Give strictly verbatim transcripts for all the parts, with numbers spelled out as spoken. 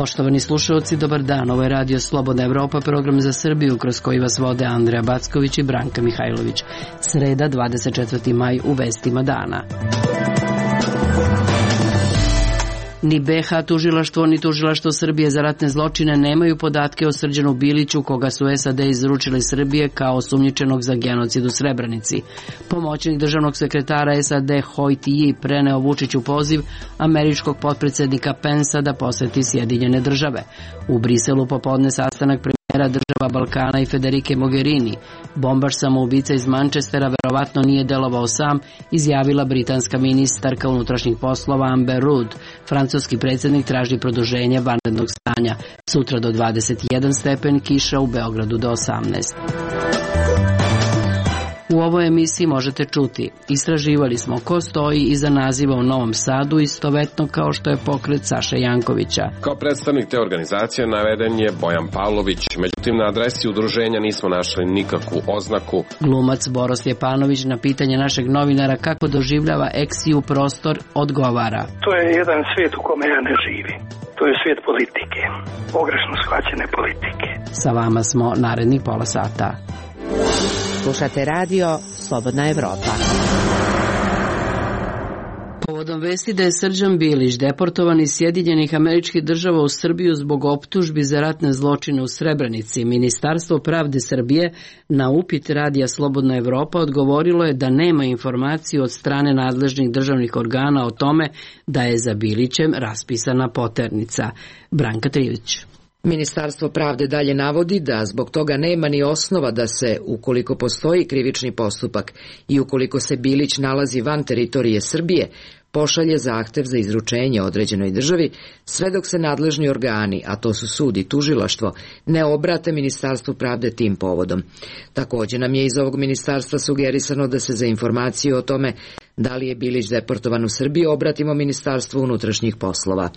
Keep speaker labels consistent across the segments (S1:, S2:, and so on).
S1: Poštovani slušalci, dobar dan. Ovo je Radio Slobodna Evropa, program za Srbiju kroz koji vas vode Andreja Backović i Branka Mihajlović. Sreda, dvadeset četvrti maj, u vestima dana. Ni be ha tužilaštvo ni tužilaštvo Srbije za ratne zločine nemaju podatke o Srđanu Biliću, koga su es a de izručili Srbije kao osumnjičenog za genocid u Srebrenici. Pomoćnik državnog sekretara es a de Hoi Ti preneo Vučiću poziv američkog potpredsednika Pensa da poseti Sjedinjene države. U Briselu popodne sastanak premijera država Balkana i Federike Mogherini. Bombaš samoubica iz Manchestera verovatno nije delovao sam, izjavila britanska ministarka unutrašnjih poslova Amber Rudd. Francuski predsjednik traži produženje vanrednog stanja. Sutra do dvadeset jedan stepen, kiša u Beogradu do osamnaest. U ovoj emisiji možete čuti: istraživali smo ko stoji iza naziva u Novom Sadu istovetno kao što je pokret Saše Jankovića.
S2: Kao predstavnik te organizacije naveden je Bojan Pavlović, međutim na adresi udruženja nismo našli nikakvu oznaku.
S1: Glumac Boro Stjepanović na pitanje našeg novinara kako doživljava eksiju prostor odgovara:
S3: to je jedan svijet u kome ja ne živim. To je svijet politike, pogrešno shvaćene politike.
S1: Sa vama smo narednih pola sata.
S4: Slušate radio Slobodna Evropa.
S1: Povodom vesti da je Srđan Bilić deportovan iz Sjedinjenih Američkih Država u Srbiju zbog optužbi za ratne zločine u Srebrenici, Ministarstvo pravde Srbije na upit radija Slobodna Evropa odgovorilo je da nema informaciju od strane nadležnih državnih organa o tome da je za Bilićem raspisana poternica. Branka Trivić.
S4: Ministarstvo pravde dalje navodi da zbog toga nema ni osnova da se, ukoliko postoji krivični postupak i ukoliko se Bilić nalazi van teritorije Srbije, pošalje zahtev za izručenje određenoj državi, sve dok se nadležni organi, a to su sud i tužilaštvo, ne obrate Ministarstvu pravde tim povodom. Također nam je iz ovog ministarstva sugerisano da se za informaciju o tome da li je Bilić deportovan u Srbiju obratimo Ministarstvu unutrašnjih poslova.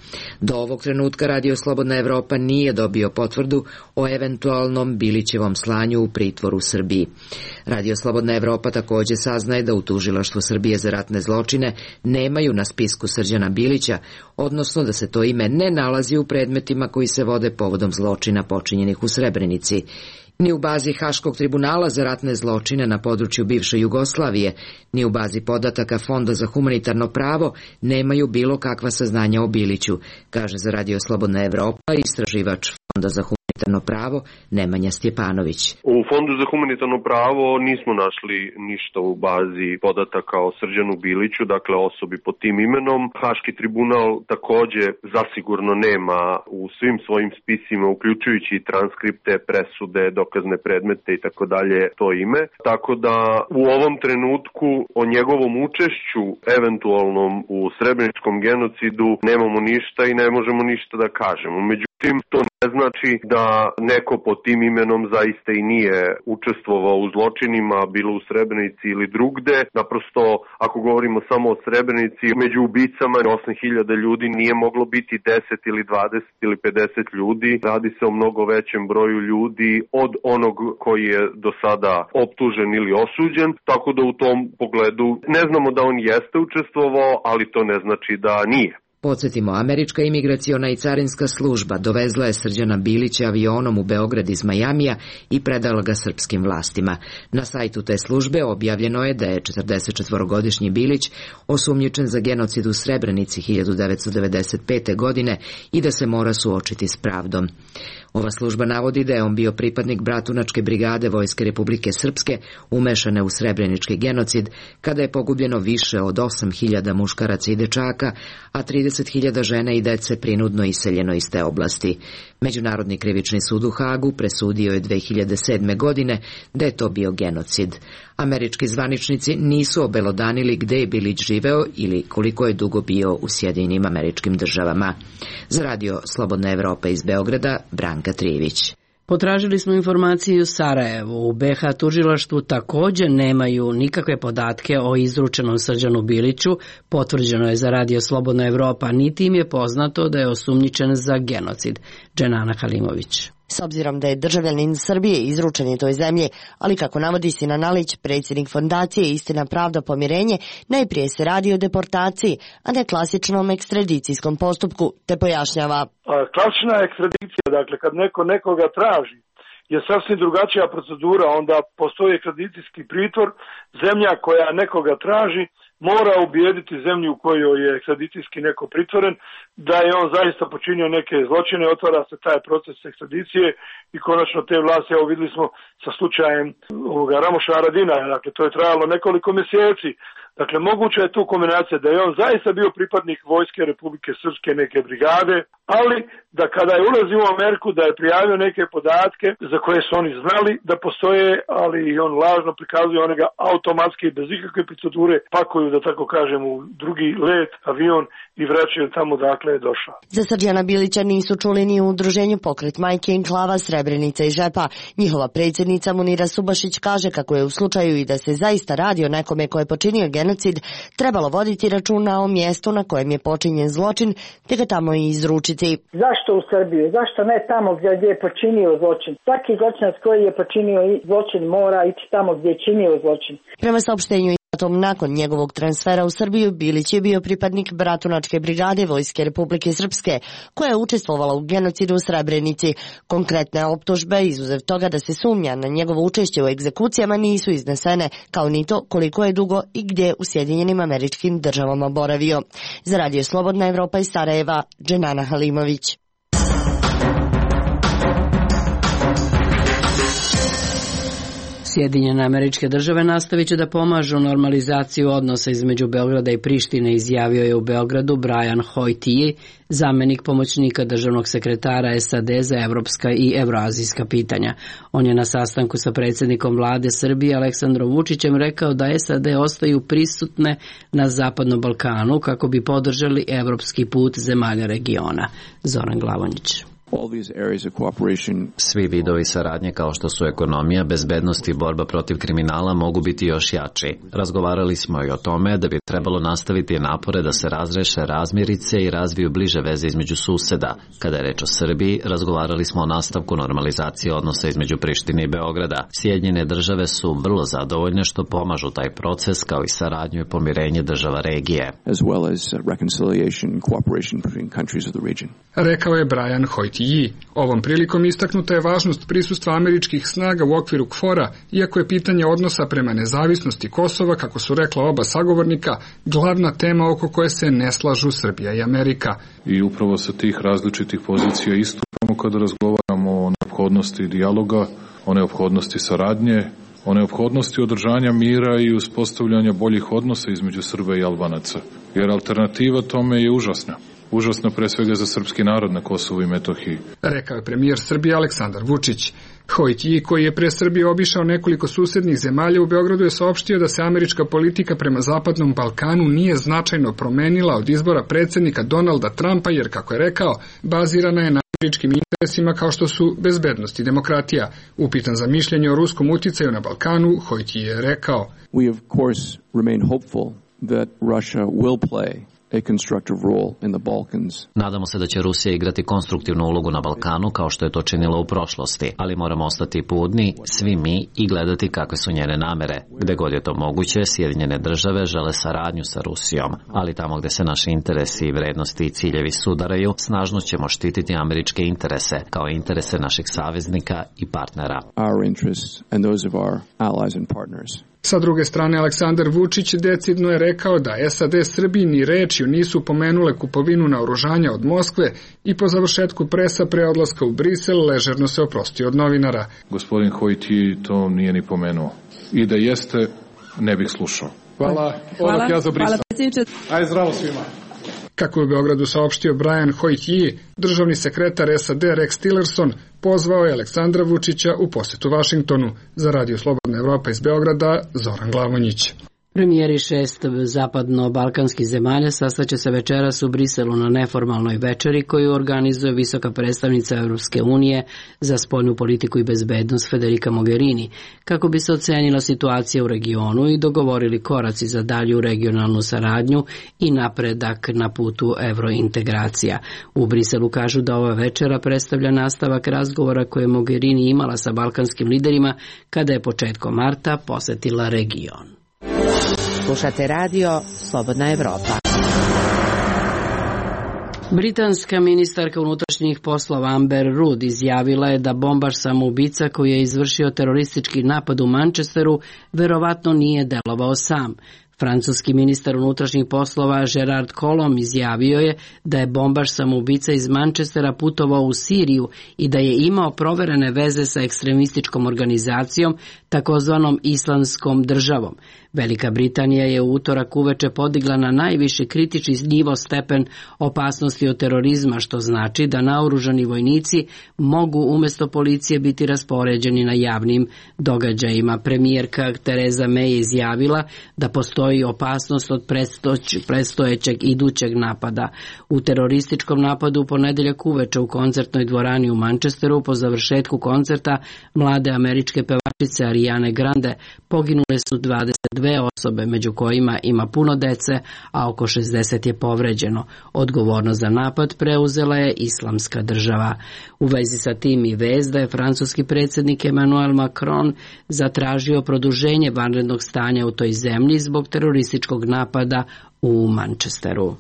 S4: Do ovog trenutka Radio Slobodna Evropa nije dobio potvrdu o eventualnom Bilićevom slanju u pritvor u Srbiji. Radio Slobodna Evropa također saznaje da u tužilaštvu Srbije za ratne zločine nemaju na spisku Srđana Bilića, odnosno da se to ime ne nalazi u predmetima koji se vode povodom zločina počinjenih u Srebrenici. Ni u bazi Haškog tribunala za ratne zločine na području bivše Jugoslavije, ni u bazi podataka Fonda za humanitarno pravo nemaju bilo kakva saznanja o Biliću, kaže za Radio Slobodna Evropa istraživač Fonda za humanitarno pravo Nemanja Stjepanović.
S5: U Fondu za humanitarno pravo nismo našli ništa u bazi podataka o Srđanu Biliću, dakle osobi pod tim imenom. Haški tribunal također zasigurno nema u svim svojim spisima, uključujući i transkripte, presude, dokazne predmete i tako dalje, to ime. Tako da u ovom trenutku o njegovom učešću eventualnom u srebreničkom genocidu nemamo ništa i ne možemo ništa da kažemo. Međutim, to ne znači da neko pod tim imenom zaista i nije učestvovao u zločinima, bilo u Srebrenici ili drugde. Naprosto, ako govorimo samo o Srebrenici, među ubicama osam hiljada ljudi nije moglo biti deset ili dvadeset ili pedeset ljudi. Radi se o mnogo većem broju ljudi od onog koji je do sada optužen ili osuđen, tako da u tom pogledu ne znamo da on jeste učestvovao, ali to ne znači da nije.
S4: Podsjetimo, američka imigraciona i carinska služba dovezla je Srđana Bilića avionom u Beograd iz Majamija i predala ga srpskim vlastima. Na sajtu te službe objavljeno je da je četrdesetčetvorogodišnji Bilić osumnjičen za genocid u Srebrenici hiljadu devetsto devedeset pete. godine i da se mora suočiti s pravdom. Ova služba navodi da je on bio pripadnik Bratunačke brigade Vojske Republike Srpske umešane u srebrenički genocid, kada je pogubljeno više od osam hiljada muškaraca i dečaka, a trideset hiljada žena i dece prinudno iseljeno iz te oblasti. Međunarodni krivični sud u Hagu presudio je dve hiljade sedme. godine da je to bio genocid. Američki zvaničnici nisu obelodanili gde je Bilić živeo ili koliko je dugo bio u Sjedinjenim Američkim Državama. Za Radio Slobodna Evropa iz Beograda, Branka Trivić.
S1: Potražili smo informacije u Sarajevu. U be ha tužilaštvu također nemaju nikakve podatke o izručenom Srđanu Biliću, potvrđeno je za Radio Slobodna Evropa, niti im je poznato da je osumnjičen za genocid. Dženana Halimović.
S6: S obzirom da je državljanin Srbije izručen je toj zemlji, ali kako navodi Sinan Alić, predsjednik fondacije Istina, pravda, pomirenje, najprije se radi o deportaciji, a ne klasičnom ekstradicijskom postupku, te pojašnjava.
S3: Klasična ekstradicija, dakle kad neko nekoga traži, je sasvim drugačija procedura, onda postoji ekstradicijski pritvor, zemlja koja nekoga traži mora ubijediti zemlju u kojoj je ekstradicijski neko pritvoren da je on zaista počinio neke zločine, otvara se taj proces ekstradicije i konačno te vlasti, evo vidjeli smo sa slučajem ovoga Ramoša Haradina, dakle to je trajalo nekoliko mjeseci. Dakle, moguća je tu kombinacija da je on zaista bio pripadnik vojske Republike Srpske neke brigade, ali da kada je ulazio u Ameriku da je prijavio neke podatke za koje su oni znali da postoje, ali on lažno prikazuje, one ga automatski bez ikakve procedure pakuju, da tako kažem, u drugi let, avion i vraćaju tamo dakle je došao.
S6: Za Srđana Bilića nisu čuli ni u udruženju Pokret majke, Enklava, Srebrenica i Žepa. Njihova predsjednica Munira Subašić kaže kako je u slučaju i da se zaista radi o nekome ko je počinio genocid, trebalo voditi računa o mjestu na kojem je počinjen zločin, te ga tamo i izručiti.
S7: Zašto u Srbiju? Zašto ne tamo gdje je počinio zločin? Svaki zločinac koji je počinio zločin mora ići tamo gdje je činio zločin.
S6: Prema saopštenju nakon njegovog transfera u Srbiju, Bilić je bio pripadnik Bratunačke brigade Vojske Republike Srpske, koja je učestvovala u genocidu u Srebrenici. Konkretne optužbe, izuzev toga da se sumnja na njegovo učešće u egzekucijama, nisu iznesene, kao ni to koliko je dugo i gdje u Sjedinjenim Američkim Državama boravio. Za Radio Slobodna Evropa iz Sarajeva, Dženana Halimović.
S1: Sjedinjene Američke Države nastavit će da pomažu normalizaciju odnosa između Beograda i Prištine, izjavio je u Beogradu Brian Hoytie, zamenik pomoćnika državnog sekretara S A D za evropska i evroazijska pitanja. On je na sastanku sa predsjednikom vlade Srbije Aleksandrom Vučićem rekao da S A D ostaju prisutne na Zapadnom Balkanu kako bi podržali evropski put zemalja regiona. Zoran Glavonjić.
S8: Svi vidovi saradnje kao što su ekonomija, bezbednost i borba protiv kriminala mogu biti još jači. Razgovarali smo i o tome da bi trebalo nastaviti napore da se razreše razmirice i razviju bliže veze između suseda. Kada je reč o Srbiji, razgovarali smo o nastavku normalizacije odnosa između Prištine i Beograda. Sjedinjene države su vrlo zadovoljne što pomažu taj proces, kao i saradnju i pomirenje država regije.
S9: Rekao je Brian Hoyt. Ovom prilikom istaknuta je važnost prisustva američkih snaga u okviru K F O R-a, iako je pitanje odnosa prema nezavisnosti Kosova, kako su rekla oba sagovornika, glavna tema oko koje se ne slažu Srbija i Amerika.
S10: I upravo sa tih različitih pozicija istupamo kada razgovaramo o neophodnosti dijaloga, o neophodnosti saradnje, o neophodnosti održanja mira i uspostavljanja boljih odnosa između Srba i Albanaca, jer alternativa tome je užasna. Užasno pre svega za srpski narod na Kosovu i Metohiji.
S9: Rekao je premijer Srbije Aleksandar Vučić. Hoytie, koji je pre Srbije obišao nekoliko susednih zemalja, u Beogradu je saopštio da se američka politika prema Zapadnom Balkanu nije značajno promenila od izbora predsjednika Donalda Trumpa, jer, kako je rekao, bazirana je na američkim interesima kao što su bezbednost i demokratija. Upitan za mišljenje o ruskom uticaju na Balkanu, Hoytie je rekao:
S11: We of course remain hopeful that Russia will play a constructive role in the Balkans.
S8: Nadamo se da će Rusija igrati konstruktivnu ulogu na Balkanu kao što je to činila u prošlosti, ali moramo ostati budni, svi mi, i gledati kakve su njene namere. Gde god je to moguće, Sjedinjene države žele saradnju sa Rusijom, ali tamo gde se naši interesi i vrednosti i ciljevi sudaraju, snažno ćemo štititi američke interese, kao i interese naših saveznika i partnera.
S11: Our interests and those of our allies and partners.
S9: Sa druge strane, Aleksandar Vučić decidno je rekao da S A D Srbiji ni rečju nisu pomenule kupovinu naoružanja od Moskve i po završetku presa pre odlaska u Brisel ležerno se oprostio od novinara.
S10: Gospodin Hoytie to nije ni pomenuo. I da jeste, ne bih slušao.
S12: Hvala. Hvala. Ja za Brisel. Aj zdravo svima.
S9: Kako je u Beogradu saopštio Brian Hoytie, državni sekretar S A D Rex Tillerson pozvao je Aleksandra Vučića u posetu Vašingtonu. Za Radio Slobodna Evropa iz Beograda, Zoran Glavonjić.
S1: Premijeri šest zapadno-balkanskih zemalja sastaće se večeras u Briselu na neformalnoj večeri koju organizuje visoka predstavnica Europske unije za spoljnu politiku i bezbednost Federica Mogherini, kako bi se ocenila situacija u regionu i dogovorili koraci za dalju regionalnu saradnju i napredak na putu evrointegracija. U Briselu kažu da ova večera predstavlja nastavak razgovora koje je Mogherini imala sa balkanskim liderima kada je početkom marta posetila region.
S13: Slušate radio Slobodna Evropa.
S1: Britanska ministarka unutrašnjih poslova Amber Rudd izjavila je da bombaš samoubica koji je izvršio teroristički napad u Manchesteru verovatno nije delovao sam. Francuski ministar unutrašnjih poslova Gerard Collomb izjavio je da je bombaš samoubica iz Manchestera putovao u Siriju i da je imao proverene veze sa ekstremističkom organizacijom, takozvanom Islamskom državom. Velika Britanija je u utorak uveče podigla na najviši kritični nivo stepen opasnosti od terorizma, što znači da naoružani vojnici mogu umjesto policije biti raspoređeni na javnim događajima. Premijerka Theresa May je izjavila da postoji opasnost od predstojećeg idućeg napada. U terorističkom napadu u ponedjeljak uveče u koncertnoj dvorani u Manchesteru po završetku koncerta mlade američke pevačice Ariane Grande poginule su dvadeset dve osobe, među kojima ima puno dece, a oko šezdeset je povređeno. Odgovornost za napad preuzela je Islamska država. U vezi sa tim i vez da je francuski predsjednik Emmanuel Macron zatražio produženje vanrednog stanja u toj zemlji zbog terorističkog napada u Manchesteru.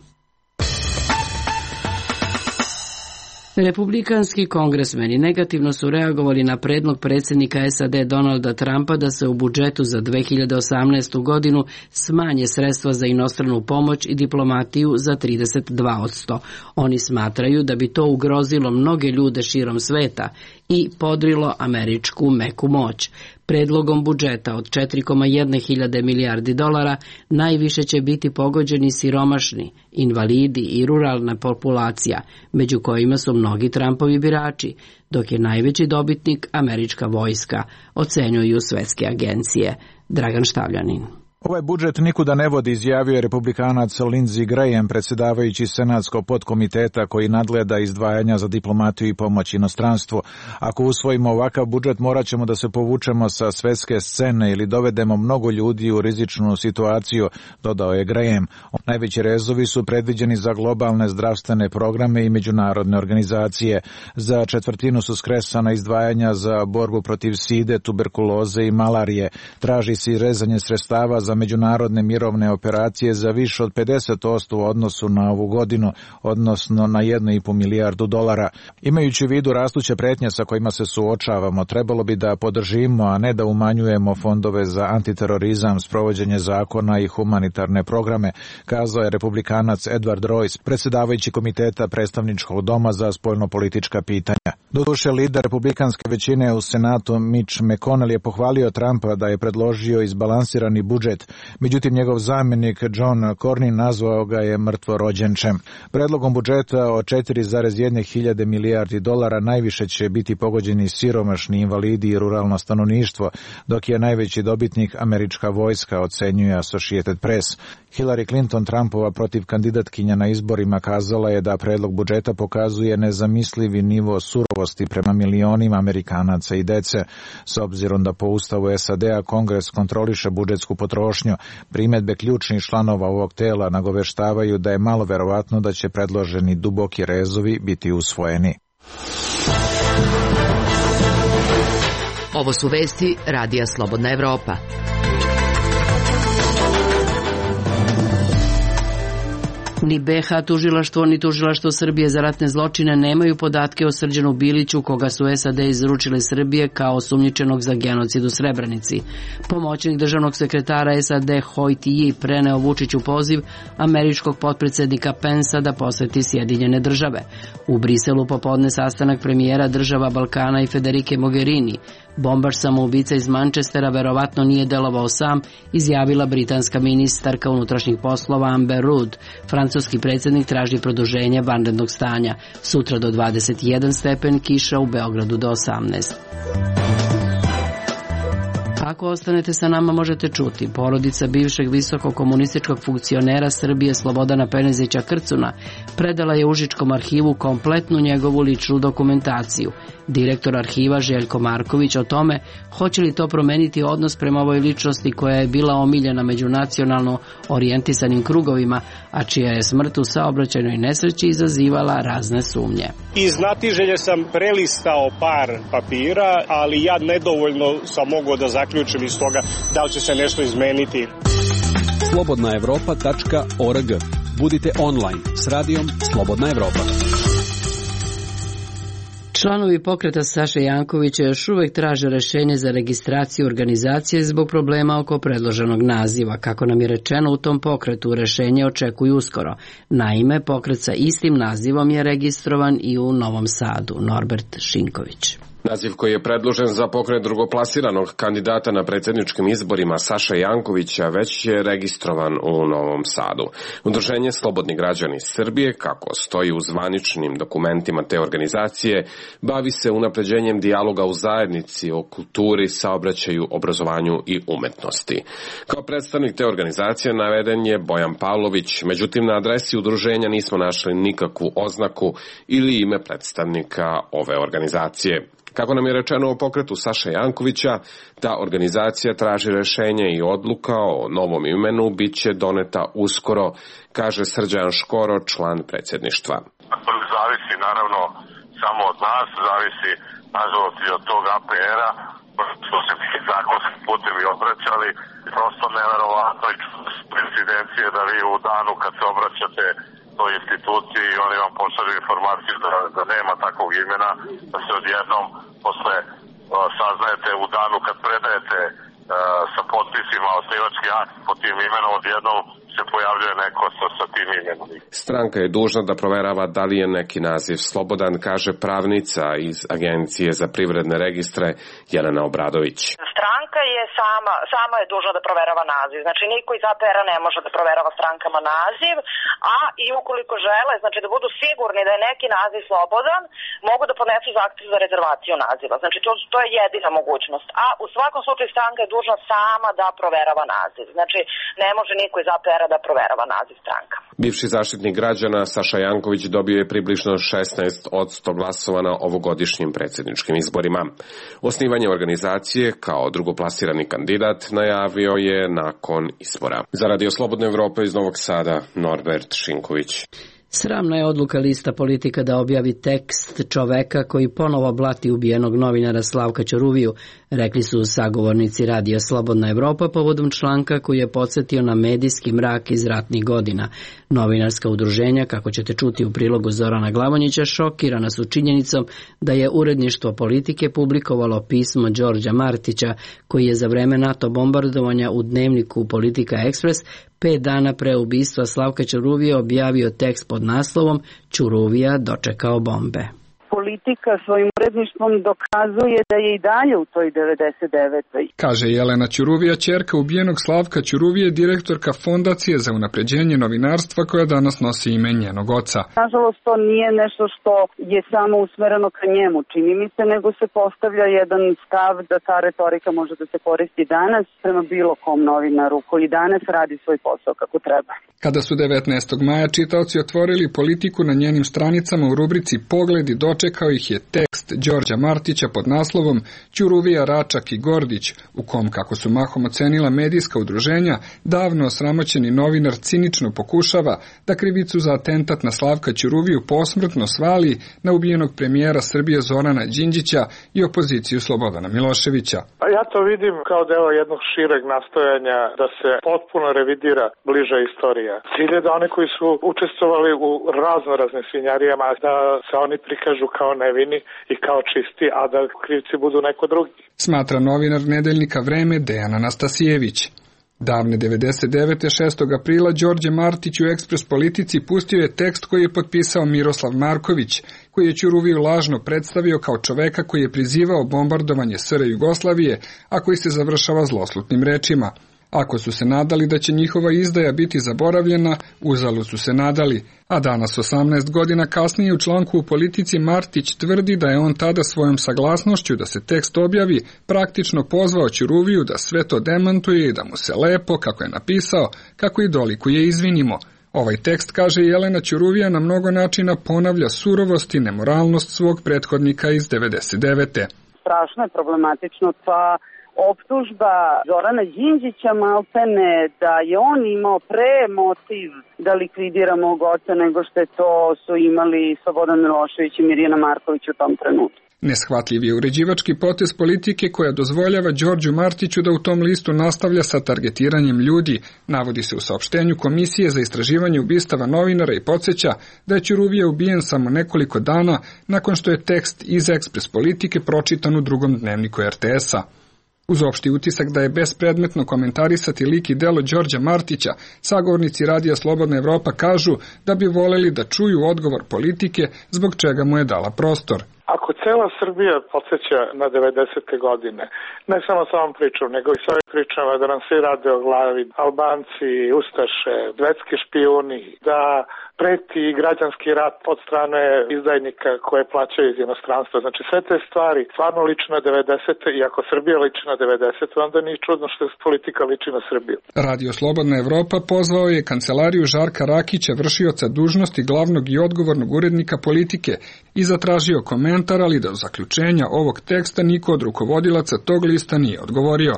S1: Republikanski kongresmeni negativno su reagovali na predlog predsjednika S A D Donalda Trumpa da se u budžetu za dve hiljade osamnaestu godinu smanje sredstva za inostranu pomoć i diplomatiju za trideset dva posto. Oni smatraju da bi to ugrozilo mnoge ljude širom sveta i podrilo američku meku moć. Predlogom budžeta od četiri zarez jedna hiljade milijardi dolara najviše će biti pogođeni siromašni, invalidi i ruralna populacija, među kojima su mnogi Trumpovi birači, dok je najveći dobitnik američka vojska, ocenjuju svetske agencije. Dragan Štavljanin.
S14: Ovaj budžet nikuda ne vodi, izjavio je republikanac Lindsey Graham, predsjedavajući senatskog podkomiteta koji nadgleda izdvajanja za diplomatiju i pomoć inostranstvu. Ako usvojimo ovakav budžet, morat ćemo da se povučemo sa svetske scene ili dovedemo mnogo ljudi u rizičnu situaciju, dodao je Graham. Najveći rezovi su predviđeni za globalne zdravstvene programe i međunarodne organizacije. Za četvrtinu su skresana izdvajanja za borbu protiv side, tuberkuloze i malarije. Traži se rezanje sredstava za međunarodne mirovne operacije za više od pedeset posto u odnosu na ovu godinu, odnosno na jednu i po milijardu dolara. Imajući u vidu rastuće pretnje sa kojima se suočavamo, trebalo bi da podržimo, a ne da umanjujemo fondove za antiterorizam, sprovođenje zakona i humanitarne programe, kazao je republikanac Edward Royce, predsjedavajući komiteta predstavničkog doma za spoljnopolitička pitanja. Doduše, lider republikanske većine u Senatu Mitch McConnell je pohvalio Trumpa da je predložio izbalansirani budžet. Međutim, njegov zamjenik John Cornyn nazvao ga je mrtvorođenčem. Predlogom budžeta od četiri zarez jedna hiljade milijardi dolara najviše će biti pogođeni siromašni, invalidi i ruralno stanovništvo, dok je najveći dobitnik američka vojska, ocenjuje Associated Press. Hillary Clinton, Trumpova protiv kandidatkinja na izborima, kazala je da predlog budžeta pokazuje nezamislivi nivo surovosti prema milionima Amerikanaca i dece. S obzirom da po ustavu S A D-a Kongres kontroliše budžetsku potrošnju, primjedbe ključnih članova ovog tela nagoveštavaju da je malo verovatno da će predloženi duboki rezovi biti usvojeni.
S4: Ovo su vesti Radija Slobodna Evropa.
S1: Ni B H tužilaštvo ni tužilaštvo Srbije za ratne zločine nemaju podatke o Srđanu Biliću, koga su S A D izručile Srbije kao osumnjičenog za genocid u Srebrenici. Pomoćnik državnog sekretara S A D Hoyt Yi preneo Vučiću poziv američkog potpredsjednika Pensa da poseti Sjedinjene države. U Briselu popodne sastanak premijera država Balkana i Federike Mogherini. Bombaš samoubica iz Manchestera verovatno nije delovao sam, izjavila britanska ministarka unutrašnjih poslova Amber Rudd. Francuski predsjednik traži produženje vanrednog stanja. Sutra do dvadeset jedan stepen, kiša u Beogradu do osamnaest. Ako ostanete sa nama možete čuti. Porodica bivšeg visokog komunističkog funkcionera Srbije Slobodana Penezića Krcuna predala je Užičkom arhivu kompletnu njegovu ličnu dokumentaciju. Direktor arhiva Željko Marković o tome hoće li to promeniti odnos prema ovoj ličnosti koja je bila omiljena među nacionalno orijentisanim krugovima, a čija je smrt u saobraćajnoj nesreći izazivala razne sumnje.
S15: Iz znatiželje sam prelistao par papira, ali ja nedovoljno sam mogao da zaključim iz toga da li će se nešto izmeniti.
S16: slobodna evropa tačka org. Budite online s radijom Slobodna Evropa.
S1: Članovi pokreta Saše Jankovića još uvek traže rešenje za registraciju organizacije zbog problema oko predloženog naziva. Kako nam je rečeno, u tom pokretu rešenje očekuju uskoro. Naime, pokret sa istim nazivom je registrovan i u Novom Sadu. Norbert Šinković.
S2: Naziv koji je predložen za pokret drugoplasiranog kandidata na predsjedničkim izborima Saše Jankovića već je registrovan u Novom Sadu. Udruženje Slobodni građani Srbije, kako stoji u zvaničnim dokumentima te organizacije, bavi se unapređenjem dijaloga u zajednici o kulturi, saobraćaju, obrazovanju i umetnosti. Kao predstavnik te organizacije naveden je Bojan Pavlović, međutim na adresi udruženja nismo našli nikakvu oznaku ili ime predstavnika ove organizacije. Kako nam je rečeno o pokretu Saše Jankovića, ta organizacija traži rešenje i odluka o novom imenu bit će doneta uskoro, kaže Srđan Škoro, član predsjedništva.
S17: To zavisi naravno samo od nas, zavisi nažalost i od tog A P R-a, što se mi zakonskim putem i obraćali, prosto neverovatno i incidencije da vi u danu kad se obraćate toj instituciji i oni vam pošalju informaciju da, da nema takvog imena, da se odjednom posle uh, saznajete u danu kad predajete uh, sa potpisima osnivački akt pod tim imenom, odjednom se pojavljuje neko sa, sa tim imenom.
S2: Stranka je dužna da proverava da li je neki naziv slobodan, kaže pravnica iz Agencije za privredne registre Jelena Obradović.
S18: Stranka je sama, sama je dužna da proverava naziv. Znači niko iz A P R-a ne može da proverava strankama naziv, a i ukoliko žele, znači da budu sigurni da je neki naziv slobodan, mogu da podnesu zahtev za rezervaciju naziva. Znači to, to je jedina mogućnost. A u svakom slučaju stranka je dužna sama da proverava naziv. Znači ne može niko iz A P R-a da proverava naziv stranka.
S2: Bivši zaštitnik građana Saša Janković dobio je približno šesnaest posto glasova na ovogodišnjim predsjedničkim izborima. Osnivanje organizacije kao drugoplasirani kandidat najavio je nakon izbora. Za Radio Slobodne Evrope iz Novog Sada, Norbert Šinković.
S1: Sramna je odluka Lista Politika da objavi tekst čoveka koji ponovo blati ubijenog novinara Slavka Ćuruviju, rekli su sagovornici Radija Slobodna Evropa povodom članka koji je podsjetio na medijski mrak iz ratnih godina. Novinarska udruženja, kako ćete čuti u prilogu Zorana Glavonjića, šokirana su činjenicom da je uredništvo Politike publikovalo pismo Đorđa Martića, koji je za vreme NATO bombardovanja u dnevniku Politika Ekspres pet dana pre ubistva Slavka Ćuruvije objavio tekst pod naslovom Ćuruvija dočekao bombe.
S19: Politika svojim uredništvom dokazuje da je i dalje u toj devedeset devetoj.
S9: Kaže Jelena Ćuruvija, ćerka ubijenog Slavka Ćuruvije, direktorka Fondacije za unapređenje novinarstva koja danas nosi ime njenog oca.
S19: Nažalost, to nije nešto što je samo usmereno ka njemu, čini mi se, nego se postavlja jedan stav da ta retorika može da se koristi danas prema bilo kom novinaru koji danas radi svoj posao kako treba.
S9: Kada su devetnaestog maja čitaoci otvorili Politiku na njenim stranicama u rubrici Pogledi, dočekao ih je tekst Đorđa Martića pod naslovom Ćuruvija, Račak i Gordić, u kom, kako su mahom ocenila medijska udruženja, davno osramoćeni novinar cinično pokušava da krivicu za atentat na Slavka Ćuruviju posmrtno svali na ubijenog premijera Srbije Zorana Đinđića i opoziciju Slobodana Miloševića.
S3: Ja to vidim kao deo jednog šireg nastojanja da se potpuno revidira bliža istorija. Cilj je da oni koji su učestvovali u razno raznim svinjarijama, da se oni prikažu kao nevini i kao čisti, a da krivci budu neko drugi.
S9: Smatra novinar nedeljnika Vreme Dejan Anastasijević. Davne devedeset devete. šestog aprila Đorđe Martić u Ekspres Politici pustio je tekst koji je potpisao Miroslav Marković, koji je Ćuruviju lažno predstavio kao čoveka koji je prizivao bombardovanje S R Jugoslavije, a koji se završava zloslutnim rečima. Ako su se nadali da će njihova izdaja biti zaboravljena, uzalud su se nadali, a danas osamnaest godina kasnije u članku u Politici Martić tvrdi da je on tada svojom saglasnošću da se tekst objavi praktično pozvao Ćuruviju da sve to demantuje i da mu se lepo, kako je napisao, kako i dolikuje izvinimo. Ovaj tekst, kaže Jelena Ćuruvija, na mnogo načina ponavlja surovost i nemoralnost svog prethodnika iz devedeset devete.
S19: Strašno je problematično ta optužba Zorana Đinđića maltene da je on imao pre motiv da likvidira mog oca nego što je to su imali Slobodan Milošević i Mirjana Marković u tom trenutku.
S9: Neshvatljiv je uređivački potez politike koja dozvoljava Đorđu Martiću da u tom listu nastavlja sa targetiranjem ljudi, navodi se u saopštenju Komisije za istraživanje ubistava novinara i podsjeća da je Ćuruvija ubijen samo nekoliko dana nakon što je tekst iz Ekspres Politike pročitan u drugom dnevniku er te es a. Uz opšti utisak da je bespredmetno komentarisati lik i delo Đorđa Martića, sagovornici Radija Slobodna Evropa kažu da bi voleli da čuju odgovor politike zbog čega mu je dala prostor.
S20: Ako cela Srbija podsjeća na devedesete godine, ne samo sa ovom pričom, nego i sa ovim pričama da nam svi rade o glavi, Albanci, Ustaše, svetski špijuni, da preti građanski rat od strane izdajnika koje plaćaju iz inostranstva. Znači sve te stvari stvarno liči na devedesete i ako Srbija liči na devedesete, onda nije čudno što politika liči na Srbiju.
S9: Radio Slobodna Evropa pozvao je kancelariju Žarka Rakića, vršioca dužnosti glavnog i odgovornog urednika Politike, i zatražio komentar, ali da u zaključenja ovog teksta niko od rukovodilaca tog lista nije odgovorio.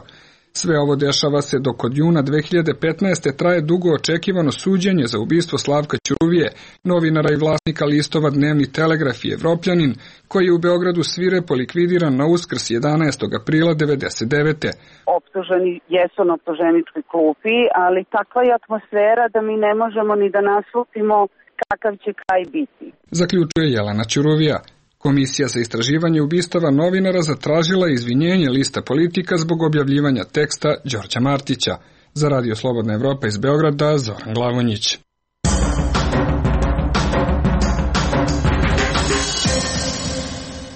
S9: Sve ovo dešava se dok od juna dve hiljade petnaeste. traje dugo očekivano suđenje za ubistvo Slavka Ćuruvije, novinara i vlasnika listova Dnevni Telegraf i Evropljanin, koji je u Beogradu svirepo likvidiran na Uskrs jedanaestog aprila devedeset devete.
S19: Optuženi jesu na optuženičkoj klupi, ali takva je atmosfera da mi ne možemo ni da naslutimo kakav će kraj biti.
S9: Zaključuje Jelena Ćuruvija. Komisija za istraživanje ubistava novinara zatražila izvinjenje lista Politika zbog objavljivanja teksta Đorđa Martića. Za Radio Slobodna Evropa iz Beograda, Zoran Glavonjić.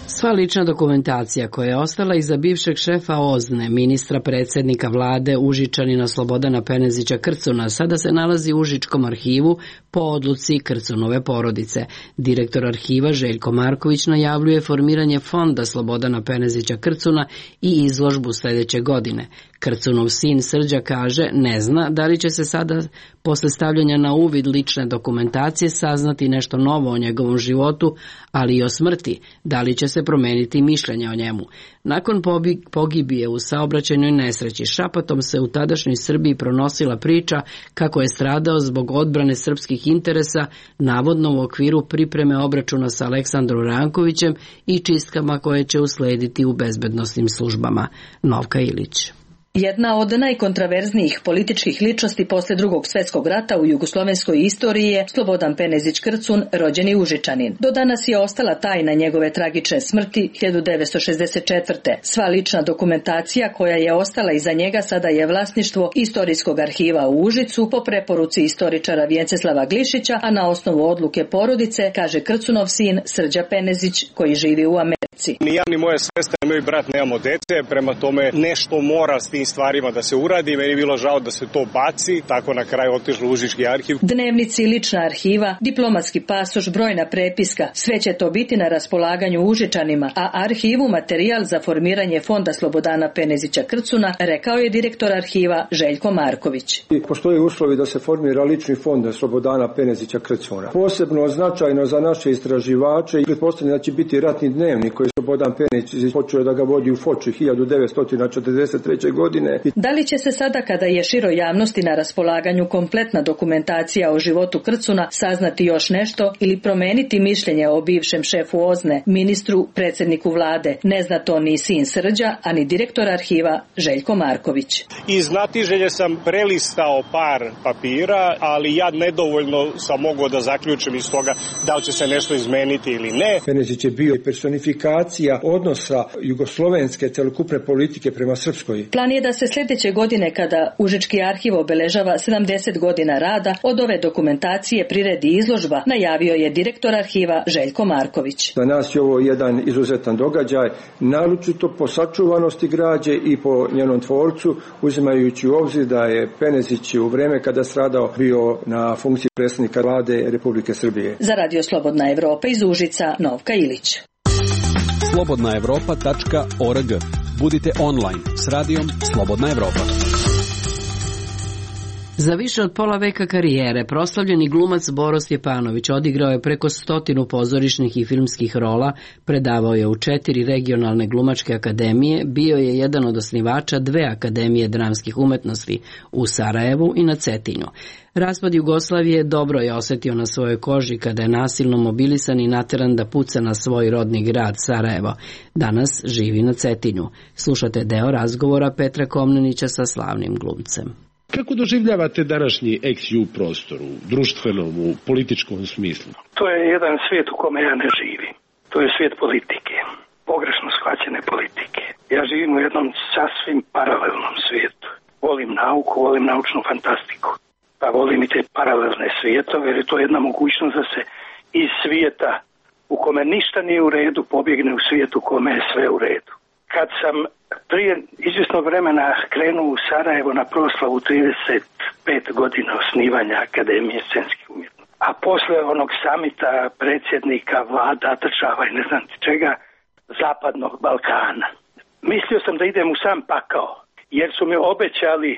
S1: Sva lična dokumentacija koja je ostala iza bivšeg šefa OZNE, ministra predsednika vlade Užičanina Slobodana Penezića Krcuna, sada se nalazi u Užičkom arhivu po odluci Krcunove porodice. Direktor arhiva Željko Marković najavljuje formiranje fonda Slobodana Penezića Krcuna i izložbu sledeće godine. Krcunov sin Srđa kaže ne zna da li će se sada posle stavljanja na uvid lične dokumentacije saznati nešto novo o njegovom životu, ali i o smrti, da li će se promeniti mišljenje o njemu. Nakon pogibije u saobraćajnoj nesreći šapatom se u tadašnjoj Srbiji pronosila priča kako je stradao zbog odbrane srpskih interesa, navodno u okviru pripreme obračuna sa Aleksandrom Rankovićem i čistkama koje će uslediti u bezbednosnim službama. Novka Ilić.
S21: Jedna od najkontraverznijih političkih ličnosti posle drugog svjetskog rata u jugoslovenskoj istoriji je Slobodan Penezić Krcun, rođeni Užičanin. Do danas je ostala tajna njegove tragične smrti hiljadu devetsto šezdeset četvrte. Sva lična dokumentacija koja je ostala iza njega sada je vlasništvo Istorijskog arhiva u Užicu po preporuci istoričara Vjenceslava Glišića, a na osnovu odluke porodice, kaže Krcunov sin Srđa Penezić koji živi u Americi.
S15: Ni ja ni moja sestra ni moj brat nemamo dece, prema tome nešto mora s tim stvarima da se uradi. Meni je bilo žao da se to baci, tako na kraju otišlo u Užički arhiv.
S21: Dnevnici, lična arhiva, diplomatski pasoš, brojna prepiska, sve će to biti na raspolaganju Užičanima, a arhivu materijal za formiranje fonda Slobodana Penezića Krcuna, rekao je direktor arhiva Željko Marković.
S22: Postoje uslovi da se formira lični fond Slobodana Penezića Krcuna. Posebno značajno za naše istraživače i pretpostavljam da će biti ratni dnevnik koji Slobodan Penezić počeo da ga vodi u Foči hiljadu devetsto četrdeset treće. godine.
S21: Da li će se sada, kada je široj javnosti na raspolaganju kompletna dokumentacija o životu Krcuna, saznati još nešto ili promeniti mišljenje o bivšem šefu OZNE, ministru, predsjedniku vlade? Ne zna to ni sin Srđa, a ni direktor arhiva Željko Marković.
S15: Iz znatiželje sam prelistao par papira, ali ja nedovoljno sam mogao da zaključim iz toga da li će se nešto izmeniti ili ne.
S22: Penezić je bio personifikacija odnosa jugoslovenske celokupne politike prema srpskoj.
S21: Plan je da se sljedeće godine, kada Užički arhiv obeležava sedamdeset godina rada, od ove dokumentacije priredi izložba, najavio je direktor arhiva Željko Marković.
S22: Za nas je ovo jedan izuzetan događaj, naročito po sačuvanosti građe i po njenom tvorcu, uzimajući u obzir da je Penezić u vreme kada stradao bio na funkciji predsjednika vlade Republike Srbije.
S21: Za Radio Slobodna Evropa iz Užica, Novka Ilić.
S16: slobodna evropa tačka org. Budite online s radijom Slobodna Evropa.
S1: Za više od pola veka karijere proslavljeni glumac Boro Stjepanović odigrao je preko stotinu pozorišnih i filmskih rola, predavao je u četiri regionalne glumačke akademije, bio je jedan od osnivača dve akademije dramskih umetnosti u Sarajevu i na Cetinju. Raspad Jugoslavije dobro je osjetio na svojoj koži kada je nasilno mobilisan i nateran da puca na svoj rodni grad Sarajevo. Danas živi na Cetinju. Slušate deo razgovora Petra Komnenića sa slavnim glumcem.
S5: Kako doživljavate današnji ex-ju prostor u društvenom, u političkom smislu?
S7: To je jedan svijet u kome ja ne živim. To je svijet politike, pogrešno shvaćene politike. Ja živim u jednom sasvim paralelnom svijetu. Volim nauku, volim naučnu fantastiku. Pa volim i te paralelne svijetove, jer je to jedna mogućnost da se iz svijeta u kome ništa nije u redu pobjegne u svijetu u kome je sve u redu. Kad sam prije izvjesnog vremena krenuo u Sarajevo na proslavu trideset pet godina osnivanja Akademije scenskih umjetnosti, a posle onog samita predsjednika vlada, država i ne znam čega, zapadnog Balkana, mislio sam da idem u sam pakao, jer su mi obećali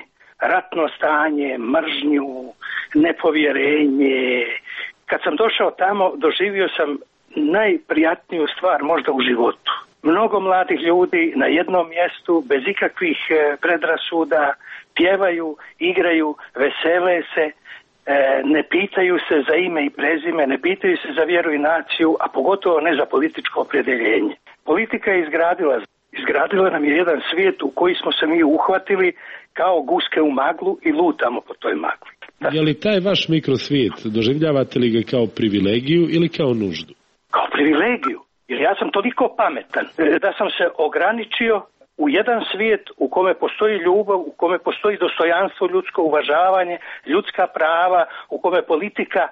S7: ratno stanje, mržnju, nepovjerenje. Kad sam došao tamo, doživio sam najprijatniju stvar možda u životu. Mnogo mladih ljudi na jednom mjestu, bez ikakvih predrasuda, pjevaju, igraju, vesele se, ne pitaju se za ime i prezime, ne pitaju se za vjeru i naciju, a pogotovo ne za političko opredjeljenje. Politika je izgradila, izgradila nam je jedan svijet u koji smo se mi uhvatili kao guske u maglu i lutamo po toj magli. Da.
S5: Je li taj vaš mikrosvijet, doživljavate li ga kao privilegiju ili kao nuždu?
S7: Kao privilegiju. Jer ja sam toliko pametan da sam se ograničio u jedan svijet u kome postoji ljubav, u kome postoji dostojanstvo, ljudsko uvažavanje, ljudska prava, u kome politika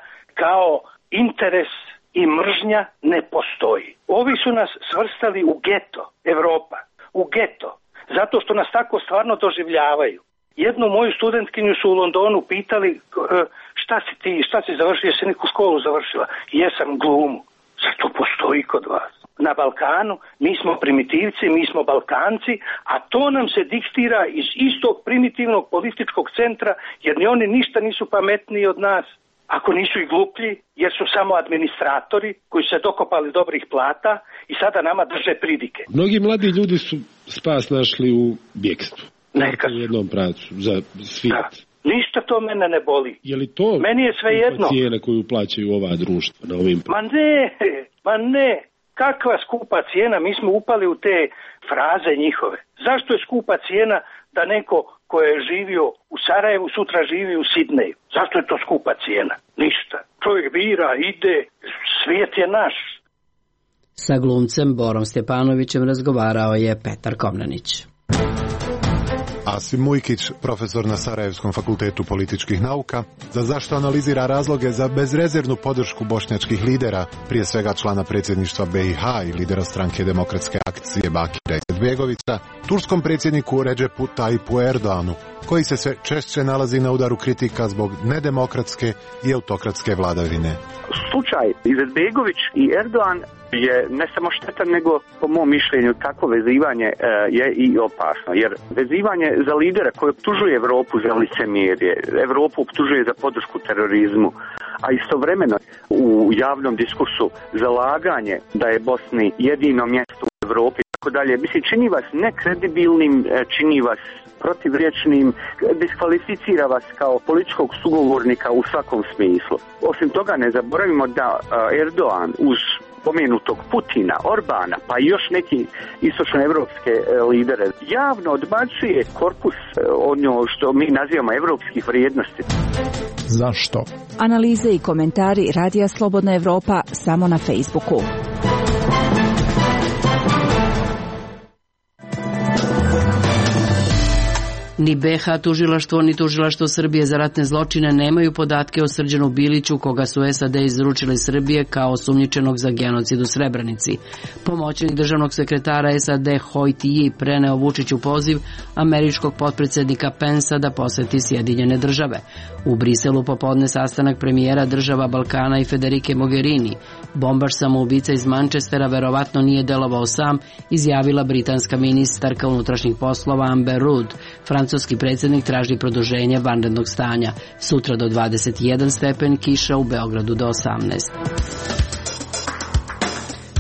S7: kao interes i mržnja ne postoji. Ovi su nas svrstali u geto, Evropa, u geto, zato što nas tako stvarno doživljavaju. Jednu moju studentkinju su u Londonu pitali šta si ti, šta si završila, jesi neku školu završila? Jesam, glumu. Zato postoji kod vas. Na Balkanu mi smo primitivci, mi smo Balkanci, a to nam se diktira iz istog primitivnog političkog centra, jer ni oni ništa nisu pametniji od nas, ako nisu i gluplji, jer su samo administratori koji se dokopali dobrih plata i sada nama drže pridike.
S5: Mnogi mladi ljudi su spas našli u bjekstvu.
S7: Neka.
S5: U jednom pravcu za svijet. Da.
S7: Ništa to mene ne boli.
S5: Je li to
S7: meni je sve jedno
S5: cijena koju plaćaju ova društva na ovim?
S7: Ma ne, ma ne. Kakva skupa cijena? Mi smo upali u te fraze njihove. Zašto je skupa cijena da neko ko je živio u Sarajevu sutra živi u Sidneju? Zašto je to skupa cijena? Ništa. Čovjek bira, ide, svijet je naš.
S1: Sa glumcem Borom Stjepanovićem razgovarao je Petar Komnenić.
S23: Asim Mujkić, profesor na Sarajevskom fakultetu političkih nauka, za zašto analizira razloge za bezrezervnu podršku bošnjačkih lidera, prije svega člana predsjedništva B i H i lidera stranke demokratske akcije Bakira Izetbegovića, turskom predsjedniku Redžepu Tayyipu Erdoğanu, koji se sve češće nalazi na udaru kritika zbog nedemokratske i autokratske vladavine.
S24: Slučaj Izetbegović i Erdoğan je ne samo štetan, nego po mom mišljenju takvo vezivanje e, je i opasno, jer vezivanje za lidera koji optužuje Evropu za licemjerje, Evropu optužuje za podršku terorizmu, a istovremeno u javnom diskursu zalaganje da je Bosni jedino mjesto u Evropi i tako dalje, mislim, čini vas nekredibilnim, čini vas protivriječnim, diskvalificira vas kao političkog sugovornika u svakom smislu. Osim toga, ne zaboravimo da Erdoğan uz pomenutog Putina, Orbana, pa i još neki istočnoevropske lidere, javno odbacuje korpus ono što mi nazivamo evropskih vrijednosti.
S23: Zašto?
S25: Analize i komentari Radija Slobodna Evropa samo na Facebooku.
S1: Ni be ha tužilaštvo ni tužilaštvo Srbije za ratne zločine nemaju podatke o Srđanu Biliću, koga su es a de izručili Srbije kao osumnjičenog za genocid u Srebrenici. Pomoćnik državnog sekretara es a de Hoyt Yi preneo Vučiću poziv američkog potpredsednika Pensa da poseti Sjedinjene države. U Briselu popodne sastanak premijera država Balkana i Federike Mogherini. Bombaš samoubica iz Manchestera verovatno nije delovao sam, izjavila britanska ministarka unutrašnjih poslova Amber Rudd. Francuski predsjednik traži produženje vanrednog stanja. Sutra do dvadeset jedan stepen, kiša u Beogradu do osamnaest.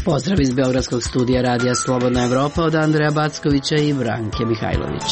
S1: Pozdrav iz Beogradskog studija Radija Slobodna Evropa od Andreja Backovića i Branke Mihajlović.